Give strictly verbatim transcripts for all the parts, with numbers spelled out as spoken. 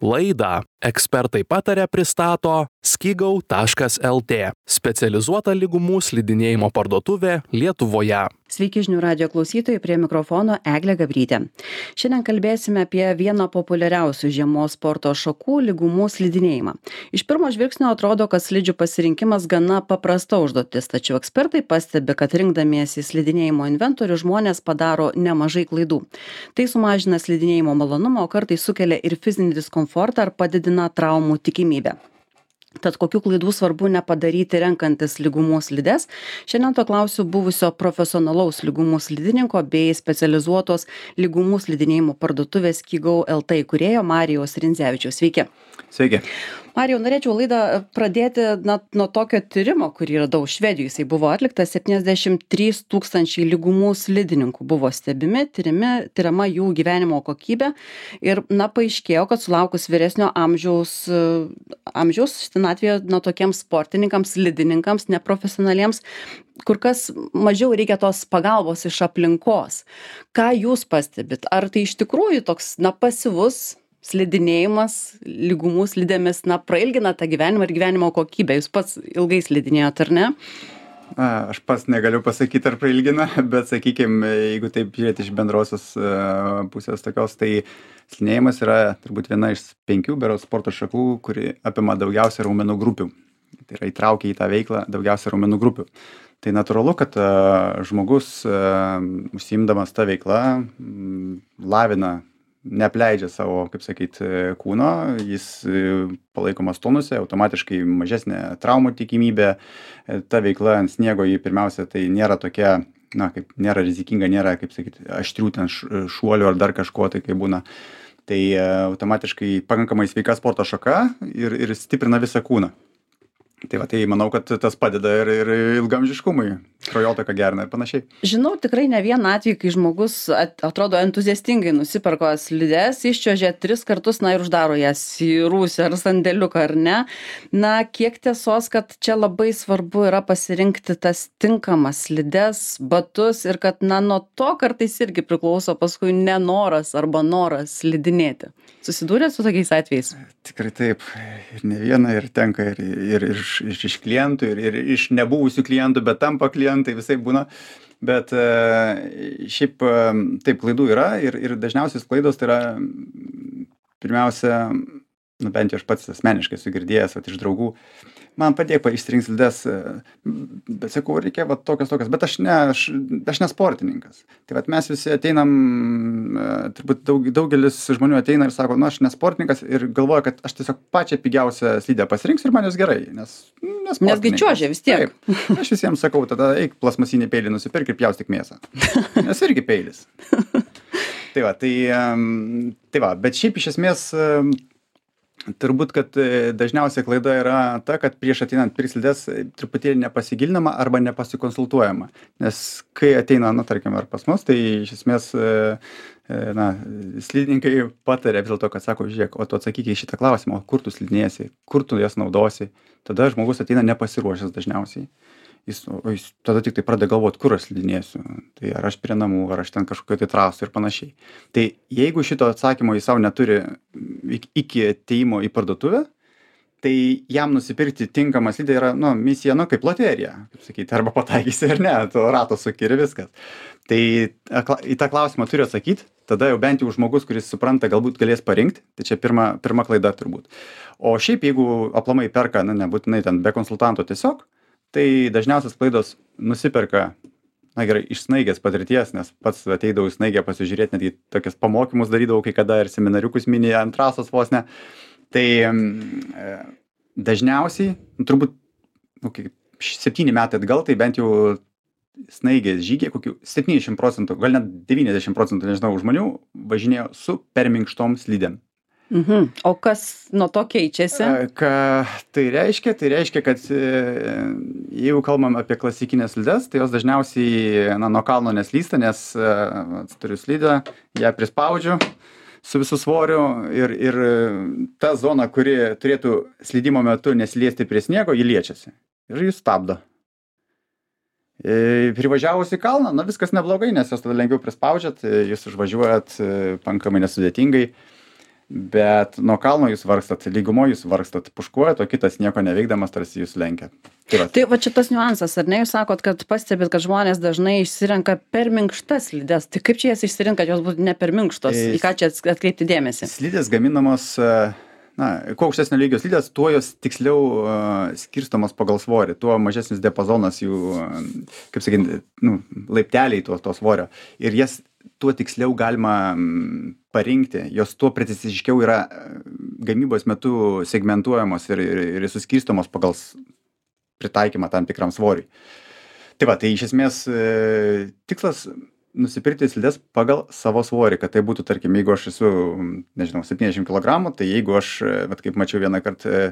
Laidą Ekspertai pataria pristato skigau taškas lt, specializuota lygumų slidinėjimo parduotuvė Lietuvoje. Sveiki žinių radijo klausytojai, prie mikrofono Eglė Gabrytė. Šiandien kalbėsime apie vieną populiariausių žiemos sporto šakų – lygumų slidinėjimą. Iš pirmo žvilgsnio atrodo, kad slidžių pasirinkimas gana paprasta užduotis, tačiau ekspertai pastebi, kad rinkdamiesi slidinėjimo inventorių žmonės padaro nemažai klaidų. Tai sumažina slidinėjimo malonumą, o kartais sukelia ir fizinį diskomfortą ar padidina traumų tikimybę. Tad kokių klaidų svarbu nepadaryti renkantis lygumų slides? Šiandien to klausiu buvusio profesionalaus lygumų slidininko bei specializuotos lygumų slidinėjimo parduotuvės skigau lt įkūrėjo Marijaus Rindzevičiaus. Sveiki. Sveiki. Marijau, norėčiau laidą pradėti na, nuo tokio tyrimo, kurį radau Švedijoje. Jisai buvo atliktas, septyniasdešimt trys tūkstančiai lygumų slidininkų buvo stebimi, tyrimi, tyrama jų gyvenimo kokybė ir na, paaiškėjo, kad sulaukus vyresnio amžiaus, amžiaus senatvėje na, tokiems sportininkams, slidininkams, neprofesionaliems, kur kas mažiau reikia tos pagalbos iš aplinkos. Ką jūs pastebit? Ar tai iš tikrųjų toks na, pasyvus slidinėjimas lygumų slidėmis, na, prailgina tą gyvenimą ir gyvenimo kokybę? Jūs pats ilgai slidinėjot, ar ne? A, aš pats negaliu pasakyti, ar prailgina, bet sakykime, jeigu taip žiūrėti iš bendrosios uh, pusės tokios, tai slidinėjimas yra turbūt viena iš penkių berods sporto šakų, kuri apima daugiausia raumenų grupių. Tai yra įtraukia į tą veiklą daugiausia raumenų grupių. Tai natūralu, kad uh, žmogus uh, užsiimdamas tą veiklą um, lavina, neapleidžia savo, kaip sakyt, kūno, jis palaikomas tonuse, automatiškai mažesnė traumų tikimybė, ta veikla ant sniego jį pirmiausia tai nėra tokia, na, kaip nėra rizikinga, nėra, kaip sakyt, aštrių ten šuolių ar dar kažko, tai kaip būna. Tai automatiškai pakankamai sveika sporto šaka ir, ir stiprina visą kūną. Tai va, tai manau, kad tas padeda ir, ir ilgamžiškumui, kraujotaką gerina ir panašiai. Žinau tikrai ne vieną atvejį, kai žmogus at, atrodo entuziastingai nusiperko slides, iščiuožė tris kartus, na ir uždaro jas į rūsį ar sandėliuką, ar ne. Na, kiek tiesos, kad čia labai svarbu yra pasirinkti tas tinkamas slides, batus ir kad, na, nuo to kartais irgi priklauso paskui nenoras arba noras slidinėti. Susidūrėt su tokiais atvejais? Tikrai taip. Ir ne viena, ir tenka ir, ir iš, iš, iš klientų, ir, ir iš nebuvusių klientų, bet tampa klientai, visai būna. Bet šiaip taip klaidų yra ir, ir dažniausiais klaidos tai yra pirmiausia, nu bent jau aš pats asmeniškai esu girdėjęs vat, iš draugų, man padėk išsirinkti slides, bet sakau, reikia va, tokias, tokias, bet aš ne, aš, aš ne sportininkas. Tai vat, mes visi ateinam, turbūt daug, daugelis žmonių ateina ir sako, nu aš ne sportininkas ir galvoja, kad aš tiesiog pačią pigiausią slidę pasirinksiu ir man jos gerai, nes Nesgi čiuožia vis tiek. Taip, aš visiems sakau, tada eik plasmasinį peilį nusipirk ir pjaustyk mėsą, nes irgi peilis. Tai va, tai, tai va, bet šiaip iš esmės turbūt, kad dažniausiai klaida yra ta, kad prieš ateinant pirkti slides truputėlį nepasigilinama arba nepasikonsultuojama. Nes kai ateina, na, tarkim, ar pas mus, tai iš esmės, na, slidininkai patarė vis dėlto, kad sako, žiūrėk, o tu atsakyk į šitą klausimą, kur tu slidinėsi, kur tu jas naudosi. Tada žmogus ateina nepasiruošęs dažniausiai. Jis, jis tada tik tai pradeda galvoti, kur aš slidinėsiu. Tai ar aš prie namų, ar aš ten kažkokio tai trasų ir panašiai. Tai jeigu šito atsakymo jis savo neturi iki ateimo į parduotuvę, tai jam nusipirkti tinkamą slidę yra, nu, misija, nu, kaip loterija, kaip sakyti, arba pataikysi ar ne, to rato suki ir viskas. Tai į tą klausimą turi atsakyti, tada jau bent jau žmogus, kuris supranta, galbūt galės parinkti, tai čia pirma, pirma klaida turbūt. O šiaip, jeigu aplamai perka, na, nebūtinai ten be konsultanto tiesiog, tai dažniausias klaidos nusiperka, na gerai, iš snaigės patirties, nes pats ateidavau į snaigę pasižiūrėti, netgi tokias pamokymus darydavau kai kada ir seminariukus mini ant trasos vos ne. Tai e, dažniausiai, nu, turbūt nu, septyni metai atgal, tai bent jau snaigės žygiai, kokių septyniasdešimt procentų, gal net devyniasdešimt procentų, nežinau, žmonių važinėjo su per minkštom slidėm. Mhm. O kas nuo to keičiasi? Ką tai reiškia? Tai reiškia, kad jeigu kalbam apie klasikinės slides, tai jos dažniausiai na, nuo kalno neslysta, nes turiu slidę, ją prispaudžiu su visų svoriu ir, ir ta zona, kuri turėtų slydimo metu nesiliesti prie sniego, ji liečiasi ir jis stabdo. Privažiavus į kalną, na viskas neblogai, nes jos tada lengviau prispaudžiat, jūs užvažiuojat pakankamai nesudėtingai. bet nuo kalno jūs vargstat, lygumoje jūs vargstat, puškuojat, o kitas nieko neveikdamas tarsi jūs lenkia. Tai va, tai va šitas niuansas, ar ne, jūs sakot, kad pastebit, kad žmonės dažnai išsirenka per minkštas slides. Tai kaip čia jas išsirinka, kad jos būtų ne per minkštos? Į ką čia atkreipti dėmesį? Slidės gaminamos, na, kuo aukštesnio lygio slidės, tuo jos tiksliau uh, skirstomos pagal svorį, tuo mažesnis diapazonas jų, uh, kaip sakyti, nu, laipteliai to, to svorio. Ir jas tuo tiksliau galima parinkti, jos tuo preciziškiau yra gamybos metu segmentuojamos ir, ir, ir suskirstomos pagal pritaikymą tam tikram svoriui. Tai va, tai iš esmės tikslas nusipirkti slides pagal savo svorį, kad tai būtų, tarkim, jeigu aš esu, nežinau, septyniasdešimt kilogramų, tai jeigu aš, vat, kaip mačiau vieną kartą,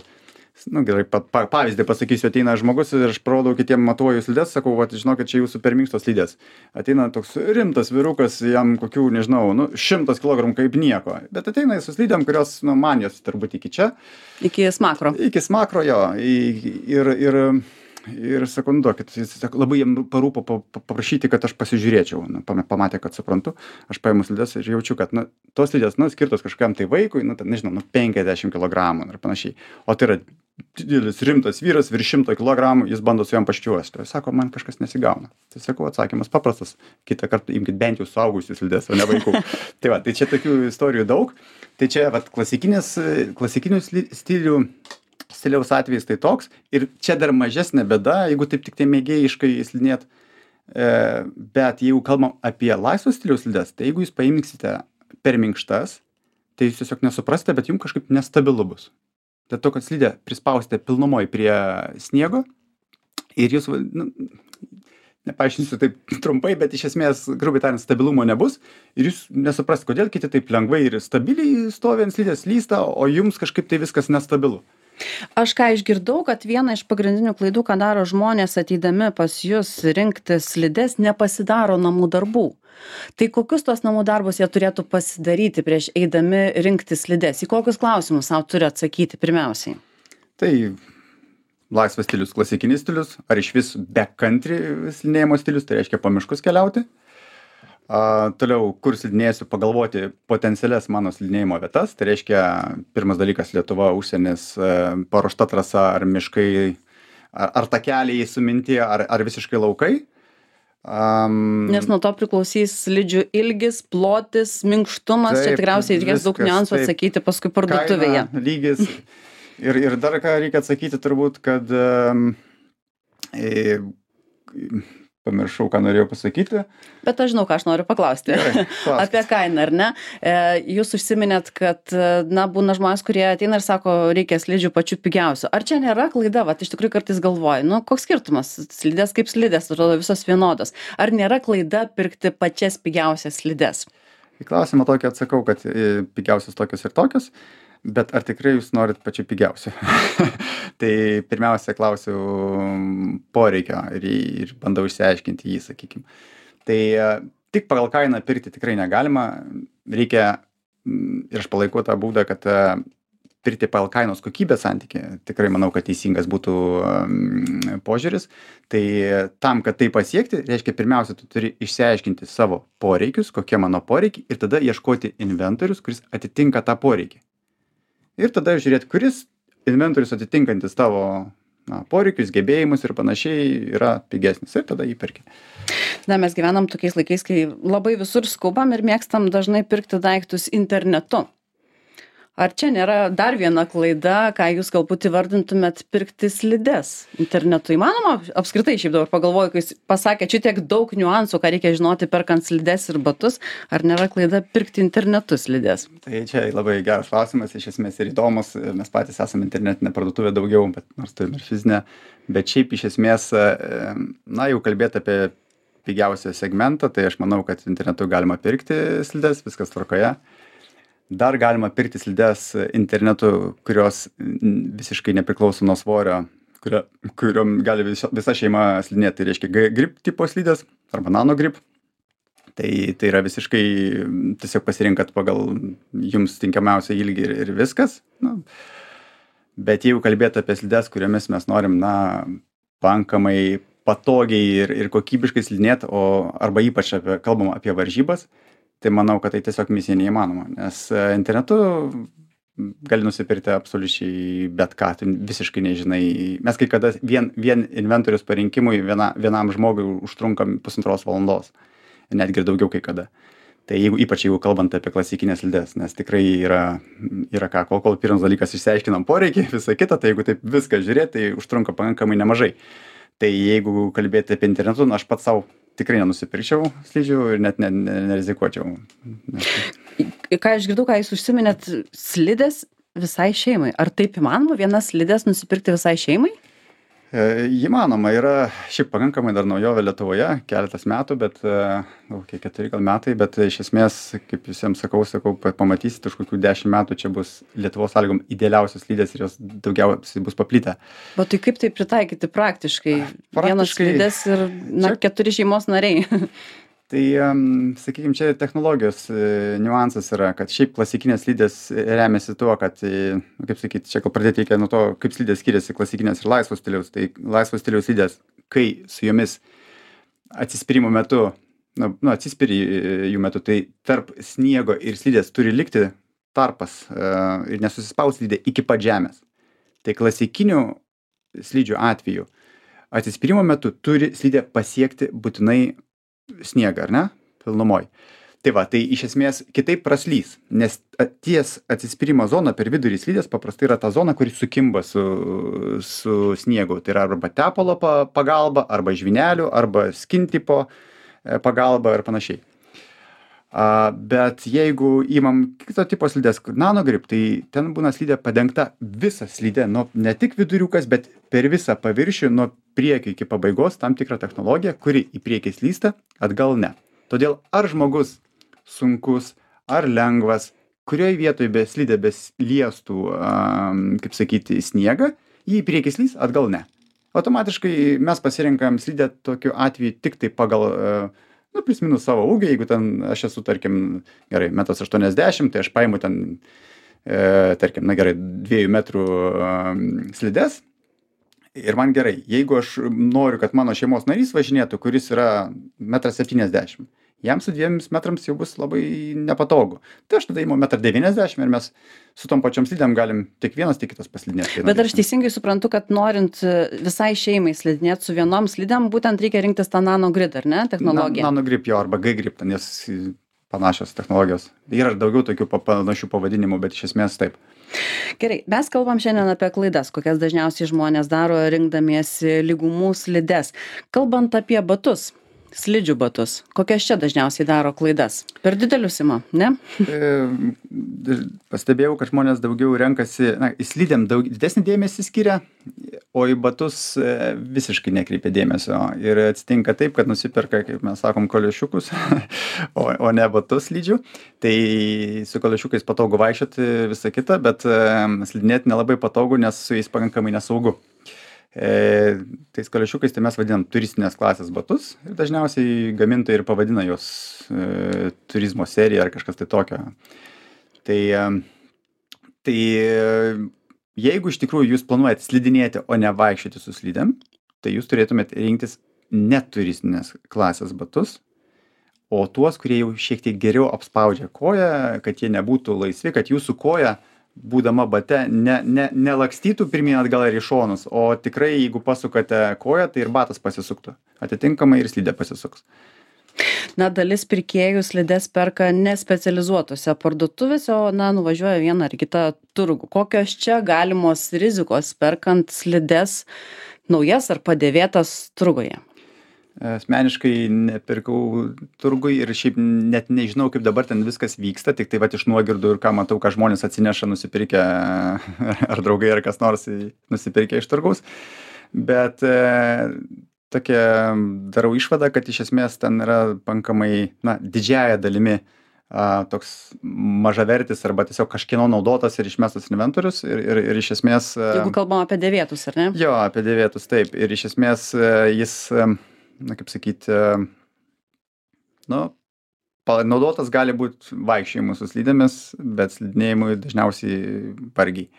nu, gerai, pa, pa, pavyzdį pasakysiu, ateina žmogus ir aš parodau kitiem, matuoju slides, sakau, vat, žinokit, čia jūsų per minkštos slidės. Ateina toks rimtas vyrukas, jam kokių, nežinau, nu, šimtas kilogramų kaip nieko, bet ateina su slidėm, kurios, nu, man jos turbūt iki čia. Iki smakro. Iki smakro, jo. Ir, ir, ir sakau, nu, duokit, jis labai jam parūpo paprašyti, kad aš pasižiūrėčiau. Nu, pamatė, kad suprantu, aš paimu slides ir jaučiu, kad, nu, tos slidės, nu, skirtos kažkam tai vaikui, nu, nežinau, nu, penkiasdešimt kilogramų ir panašiai. O tai yra didelis rimtas vyras, virš šimto kilogramų, jis bando su jam paščiuosti. Sako, man kažkas nesigauna. Tai sakau, atsakymas paprastas. Kitą kartą imkit bent jau suaugusius slides, o ne vaikų. Tai va, tai čia tokių istorijų daug. Tai čia, va, klasikinis, klasikinių stilių, stiliaus atvejais tai toks. Ir čia dar mažesnė bėda, jeigu taip tik tai mėgėjiškai slidinėt. E, bet jeigu kalbam apie laisvos stiliaus slides, tai jeigu jūs paimksite per minkštas, tai jūs tiesiog nesuprasite, bet jums kažkaip nestabilu bus. Dėl to, kad slidę prispausite pilnumoj prie sniego ir jūs, nu, nepaaiškinsiu taip trumpai, bet iš esmės, grubiai tariant, stabilumo nebus ir jūs nesuprasite, kodėl kiti taip lengvai ir stabiliai stovi ant slidės, slysta, o jums kažkaip tai viskas nestabilu. Aš ką išgirdau, kad viena iš pagrindinių klaidų, ką daro žmonės ateidami pas jus rinkti slides, nepasidaro namų darbų. Tai kokius tos namų darbus jie turėtų pasidaryti prieš eidami rinkti slides? Į kokius klausimus savo turi atsakyti pirmiausiai? Tai laisvas stilius, klasikinis stilius, ar iš vis backcountry slidinėjimo stilius, tai reiškia po miškus keliauti. A, toliau, kur slidinėsiu, pagalvoti potencialias mano slidinėjimo vietas, tai reiškia pirmas dalykas Lietuva, užsienis, paruošta trasa ar miškai, ar, ar takeliai suminti, ar, ar visiškai laukai. Um, Nes nuo to priklausys slidžių ilgis, plotis, minkštumas, taip, čia tikriausiai reikės daug niuansų atsakyti paskui parduotuvėje. Kaina, lygis. Ir, ir dar ką reikia atsakyti turbūt, kad um, e, pamiršau, ką norėjau pasakyti. Bet aš žinau, ką aš noriu paklausti. Gerai, apie kainą, ar ne? E, jūs užsiminėt, kad, na, būna žmonės, kurie ateina ir sako, reikia slidžių pačių pigiausių. Ar čia nėra klaida? Vat iš tikrųjų kartais galvoju, nu, koks skirtumas? Slidės kaip slidės, atrodo visos vienodos. Ar nėra klaida pirkti pačias pigiausias slides? Į klausimą tokį atsakau, kad pigiausios tokios ir tokios. Bet ar tikrai jūs norit pačių pigiausių? Tai pirmiausia klausiu poreikio ir, ir bandau išsiaiškinti jį, sakykim. Tai tik pagal kainą pirkti tikrai negalima. Reikia, ir aš palaikau tą būdą, kad pirkti pagal kainos kokybės santykį, tikrai manau, kad teisingas būtų um, požiūris. Tai tam, kad tai pasiekti, reiškia, pirmiausia, tu turi išsiaiškinti savo poreikius, kokie mano poreikiai, ir tada ieškoti inventorius, kuris atitinka tą poreikį. Ir tada žiūrėti, kuris inventorius atitinkantis tavo na, poreikius, gebėjimus ir panašiai yra pigesnis. Ir tada jį perki. Na, mes gyvenam tokiais laikais, kai labai visur skubam ir mėgstam dažnai pirkti daiktus internetu. Ar čia nėra dar viena klaida, ką jūs galbūt įvardintumėt pirkti slides internetu? Įmanoma? Apskritai šiaip dabar pagalvoju, kai pasakė čia tiek daug niuansų, ką reikia žinoti perkant slides ir batus, ar nėra klaida pirkti internetu slides? Tai čia labai geras klausimas, iš esmės ir įdomus. Mes patys esame internetinė parduotuvė daugiau, bet nors turime ir fizinę. Bet šiaip iš esmės, na, jau kalbėti apie pigiausią segmentą, tai aš manau, kad internetu galima pirkti slides, viskas tvarkoje. Dar galima pirkti slides internetu, kurios visiškai nepriklauso nuo svorio, kurio, kuriom gali visa, visa šeima slidinėti. Tai reiškia grip tipo slides arba nano grip. Tai, tai yra visiškai tiesiog pasirinkat pagal jums tinkamiausią ilgį ir, ir viskas. Nu, bet jeigu kalbėti apie slides, kuriomis mes norim, na, pakankamai patogiai ir, ir kokybiškai slidinėti, o arba ypač apie, kalbam apie varžybas, tai manau, kad tai tiesiog misija neįmanoma, nes e, internetu gali nusipirkti absoliučiai bet ką, tu visiškai nežinai. Mes kai kada vien, vien inventorius parinkimui viena, vienam žmogui užtrunka pusantros valandos, netgi ir daugiau kai kada. Tai jeigu, ypač jeigu kalbant apie klasikinės slides, nes tikrai yra, yra ką, kol, kol pirmas dalykas išsiaiškinam poreikį, visą kitą, tai jeigu taip viską žiūrėti, tai užtrunka pakankamai nemažai. Tai jeigu kalbėti apie internetu, nu, aš pats savo tikrai nenusipirkčiau slidžių ir net ne, ne, nerizikuočiau. Nes... Ką aš girdau, ką jūs užsiminėt, slidės visai šeimai. Ar taip įmanoma vienas slidės nusipirkti visai šeimai? E, įmanoma, yra šiaip pakankamai dar naujovė Lietuvoje, keletas metų, bet, gal kiek keturi gal metai, bet iš esmės, kaip visiems sakau, sakau, pamatysit, už kokių dešimt metų čia bus Lietuvos sąlygom idealiausios slidės ir jos daugiausiai bus paplitę. Bet tai kaip tai pritaikyti praktiškai? Praktiškai Vienas slidės ir na, čia... keturi šeimos nariai. Tai, sakykime, čia technologijos niuansas yra, kad šiaip klasikinės slidės remiasi tuo, kad, kaip sakyti, čia gal pradėti reikia nuo to, kaip slidės skiriasi klasikinės ir laisvos stiliaus. Tai laisvos stiliaus slidės, kai su jomis atsispyrimo metu, nu, nu atsispiri jų metu, tai tarp sniego ir slidės turi likti tarpas ir nesusispaus slidė iki pat žemės. Tai klasikinių slidžių atveju atsispyrimo metu turi slidė pasiekti būtinai sniegą, ar ne? Pilnumoj. Tai va, tai iš esmės kitaip praslys, nes ties atsispyrimo zona per vidurį slidės paprastai yra ta zona, kuri sukimba su, su sniegu. Tai yra arba tepalo pagalba, arba žvynelių, arba skintipo pagalba ir panašiai. A, bet jeigu įmam kito tipo slidės, nanogrip, tai ten būna slidė padengta visa slidė, nu, ne tik viduriukas, bet per visą paviršių nuo priekio iki pabaigos tam tikrą technologiją, kuri į priekį slysta, atgal ne. Todėl ar žmogus sunkus, ar lengvas, kurioje vietoje be slidė besliestų, um, kaip sakyti, sniegą, jį į priekį slys, atgal ne. Automatiškai mes pasirinkam slidę tokiu atveju tik tai pagal, uh, nu, plius minus savo ūgį, jeigu ten aš esu, tarkim, gerai, metras aštuoniasdešimt, tai aš paimu ten, e, tarkim, na gerai, dviejų metrų um, slides. Ir man gerai, jeigu aš noriu, kad mano šeimos narys važinėtų, kuris yra metras septyniasdešimt, jam su dviems metrams jau bus labai nepatogu. Tai aš tada įimu metras devyniasdešimt ir mes su tom pačiom slidėm galim tiek vienas, tiek kitas paslidinėti. Bet aš teisingai suprantu, kad norint visai šeimai slidinėti su vienom slidėm, būtent reikia rinktis tą nanogrid, ar ne, technologiją? Na, nanogrip jo, arba G-grip, nes panašios technologijos. Yra daugiau tokių panašių pavadinimų, bet iš esmės taip. Gerai, mes kalbam šiandien apie klaidas, kokias dažniausiai žmonės daro rinkdamiesi lygumų slides. Kalbant apie batus, slidžių batus, kokias čia dažniausiai daro klaidas? Per didelius ima, ne? E, pastebėjau, kad žmonės daugiau renkasi, na, į slidėm daug didesnį dėmesį skiria, o į batus e, visiškai nekreipia dėmesio. Ir atsitinka taip, kad nusiperka, kaip mes sakom, koliošiukus, o, o ne batus slidžių. Tai su koliošiukais patogu vaikščioti visą kitą, bet e, slidinėti nelabai patogu, nes su jais pakankamai nesaugu. E, tais koliošiukais tai mes vadinam turistinės klasės batus ir dažniausiai gamintojai ir pavadina juos e, turizmo serija ar kažkas tai tokio. Tai, e, tai jeigu iš tikrųjų jūs planuojate slidinėti, o ne vaikščioti su slidėm, tai jūs turėtumėte rinktis ne turistinės klasės batus, o tuos, kurie jau šiek tiek geriau apspaudžia koją, kad jie nebūtų laisvi, kad jūsų koja būdama bate, ne, ne, nelakstytų pirmyn atgal ir į šonus, o tikrai, jeigu pasukate koją, tai ir batas pasisuktų. Atitinkamai ir slidė pasisuks. Na, dalis pirkėjų slides perka nespecializuotose parduotuvėse, o, na, nuvažiuoja vieną ar kitą turgų. Kokios čia galimos rizikos perkant slides naujas ar padėvėtas turguje? Asmeniškai nepirkau turgui ir šiaip net nežinau, kaip dabar ten viskas vyksta, tik tai vat iš nuogirdų ir ką matau, ką žmonės atsineša nusipirkę, ar draugai, ar kas nors nusipirkę iš turgaus. Bet e, tokia darau išvadą, kad iš esmės ten yra pankamai, na, didžiaja dalimi a, toks mažavertis arba tiesiog kažkieno naudotas ir išmestas inventorius ir, ir, ir iš esmės... Jeigu kalbam apie dėvėtus, ar ne? Jo, apie dėvėtus, taip. Ir iš esmės jis... na, kaip sakyti, nu, naudotas gali būti vaikščiojimui su slidėmis, bet slidinėjimui dažniausiai vargiai.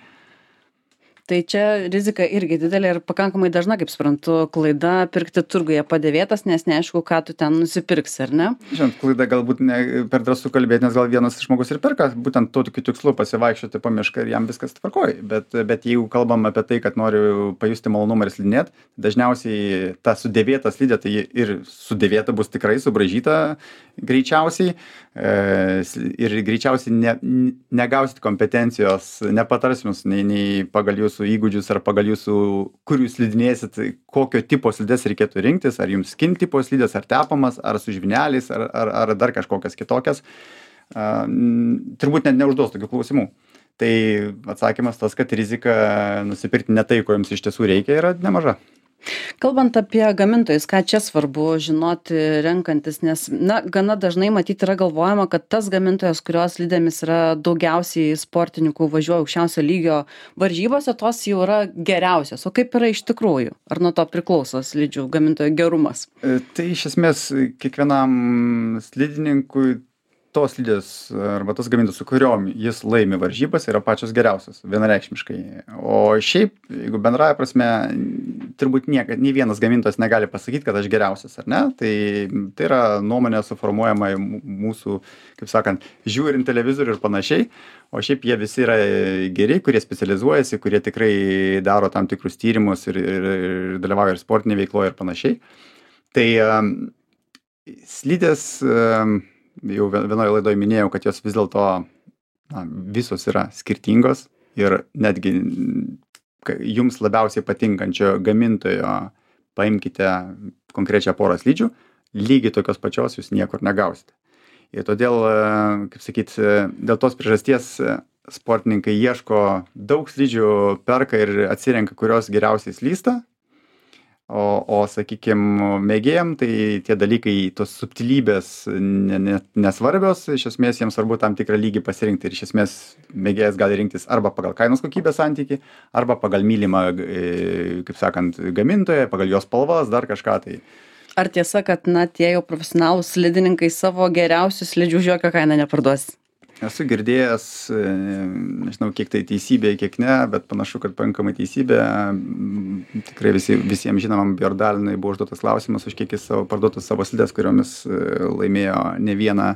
Tai čia rizika irgi didelė ir pakankamai dažna, kaip suprantu, klaida pirkti turguje padėvėtas, nes neaišku, ką tu ten nusipirksi, ar ne? Žinot, klaida galbūt ne per drąsu kalbėti, nes gal vienas žmogus ir perka, būtent to tokiu tikslu pasivaikščioti po mišką ir jam viskas tvarkoj. Bet, bet jeigu kalbam apie tai, kad noriu pajusti malonumą ir slidinėt, dažniausiai ta sudėvėta slidė, tai ir sudėvėta bus tikrai subraižyta greičiausiai e, ir greičiausiai ne, negausit kompetencijos, nepatarsim jums nei, nei pagal jūsų įgūdžius ar pagal jūsų, kur jūs slidinėsit, kokio tipo slides reikėtų rinktis, ar jums skin tipo slides, ar tepamas, ar su žvyneliais, ar, ar, ar dar kažkokias kitokias. Uh, turbūt net neužduos tokių klausimų. Tai atsakymas tas, kad rizika nusipirkti ne tai, ko jums iš tiesų reikia, yra nemaža. Kalbant apie gamintojus, ką čia svarbu žinoti renkantis, nes, na, gana dažnai matyti yra galvojama, kad tas gamintojas, kurios slidėmis yra daugiausiai sportininkų važiuoja aukščiausio lygio varžybose, tos jau yra geriausios. O kaip yra iš tikrųjų? Ar nuo to priklauso slidžių gamintojo gerumas? Tai iš esmės kiekvienam slidininkui tos slidės arba tas gamintojas, su kuriom jis laimi varžybas, yra pačios geriausios, vienareikšmiškai. O šiaip, jeigu bendraja prasme, turbūt niekad, nei vienas gamintojas negali pasakyti, kad aš geriausias, ar ne? Tai, tai yra nuomonė suformuojama mūsų, kaip sakant, žiūrint televizorių ir panašiai. O šiaip jie visi yra geri, kurie specializuojasi, kurie tikrai daro tam tikrus tyrimus ir, ir, ir dalyvauja ir sportinėje veikloje ir panašiai. Tai um, slidės... Um, jau vienoje laidoje minėjau, kad jos vis dėlto na, visos yra skirtingos ir netgi jums labiausiai patinkančio gamintojo paimkite konkrečią porą slidžių, lygiai tokios pačios jūs niekur negausite. Ir todėl, kaip sakyt, dėl tos priežasties sportininkai ieško daug slidžių, perka ir atsirenka, kurios geriausiai slysta. O, o sakykime, mėgėjam, tai tie dalykai, tos subtilybės ne, ne, nesvarbios, iš esmės jiems svarbu tam tikrą lygį pasirinkti ir iš esmės mėgėjas gali rinktis arba pagal kainos kokybės santykį, arba pagal mylimą, kaip sakant, gamintoją, pagal jos spalvas, dar kažką tai. Ar tiesa, kad na, tie jau profesionalūs slidininkai savo geriausius slidžių už jokią kainą neparduos? Esu girdėjęs, nežinau, kiek tai teisybė, kiek ne, bet panašu, kad pakankamai teisybė. Tikrai visi, visiems žinomam Bjordalinui buvo užduotas klausimas, už kiek jis savo, parduotų savo slides, kuriomis laimėjo ne vieną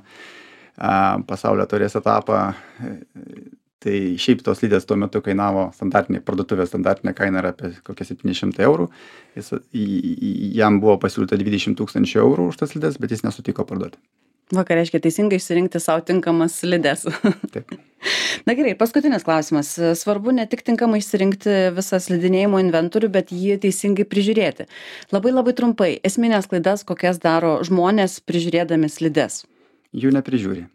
pasaulio taurės etapą. Tai šiaip tos slidės tuo metu kainavo standartinė parduotuvė, standartinė kaina yra apie kokie septyni šimtai eurų. Jis, jam buvo pasiūlyta dvidešimt tūkstančių eurų už tas slides, bet jis nesutiko parduoti. Va, ką reiškia teisingai išsirinkti savo tinkamas slides. Taip. Na gerai, paskutinis klausimas. Svarbu ne tik tinkamai išsirinkti visą slidinėjimo inventorių, bet jį teisingai prižiūrėti. Labai labai trumpai, esminės klaidas, kokias daro žmonės prižiūrėdami slides? Jų neprižiūri.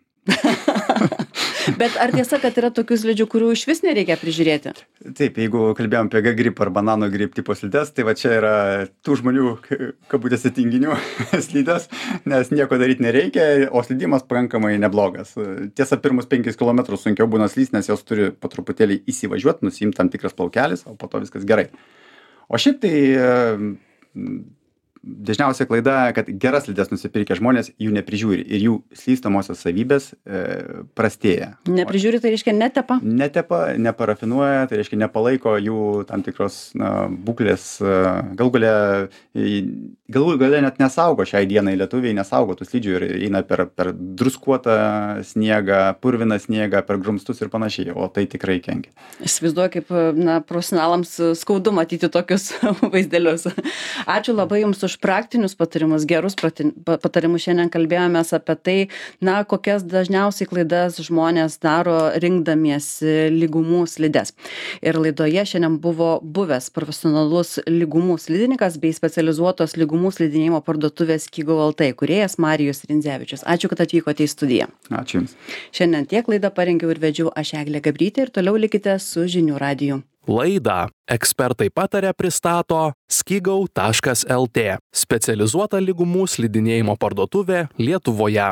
Bet ar tiesa, kad yra tokių slidžių, kurių iš vis nereikia prižiūrėti? Taip, jeigu kalbėjom apie G-grip ar banano grip tipo slides, tai va čia yra tų žmonių, kabutėse tinginių slides, nes nieko daryti nereikia, o slidimas pakankamai neblogas. Tiesa, pirmus penkis kilometrus sunkiau būna slys, nes jos turi po truputėlį įsivažiuoti, nusiimti tam tikras plaukelis, o po to viskas gerai. O šiaip tai... Dažniausia klaida, kad geras slides nusipirkę žmonės jų neprižiūri ir jų slystamosios savybės e, prastėja. Neprižiūri, tai reiškia netepa? Netepa, neparafinuoja, tai reiškia nepalaiko jų tam tikros na, būklės. Galų gale, galų gale net nesaugo šiai dienai, lietuviai nesaugo tų slidžių ir eina per, per druskuotą sniegą, purviną sniegą, per grumstus ir panašiai, o tai tikrai kenkia. Įsivaizduoju, kaip na, profesionalams skaudu matyti tokius vaizdelius. Ačiū labai Jums už praktinius patarimus, gerus patarimus. Šiandien kalbėjomės apie tai, na, kokias dažniausiai klaidas žmonės daro rinkdamiesi lygumų slides. Ir laidoje šiandien buvo buvęs profesionalus lygumų slidininkas bei specializuotos lygumų slidinėjimo parduotuvės Skigau L T kūrėjas Marijus Rindzevičius. Ačiū, kad atvykote į studiją. Ačiū Jums. Šiandien tiek laidą parengiau ir vedžiau aš Eglė Gabrytė ir toliau likite su Žinių radiju. Laidą ekspertai pataria pristato skigau taškas L T, specializuota lygumų slidinėjimo parduotuvė Lietuvoje.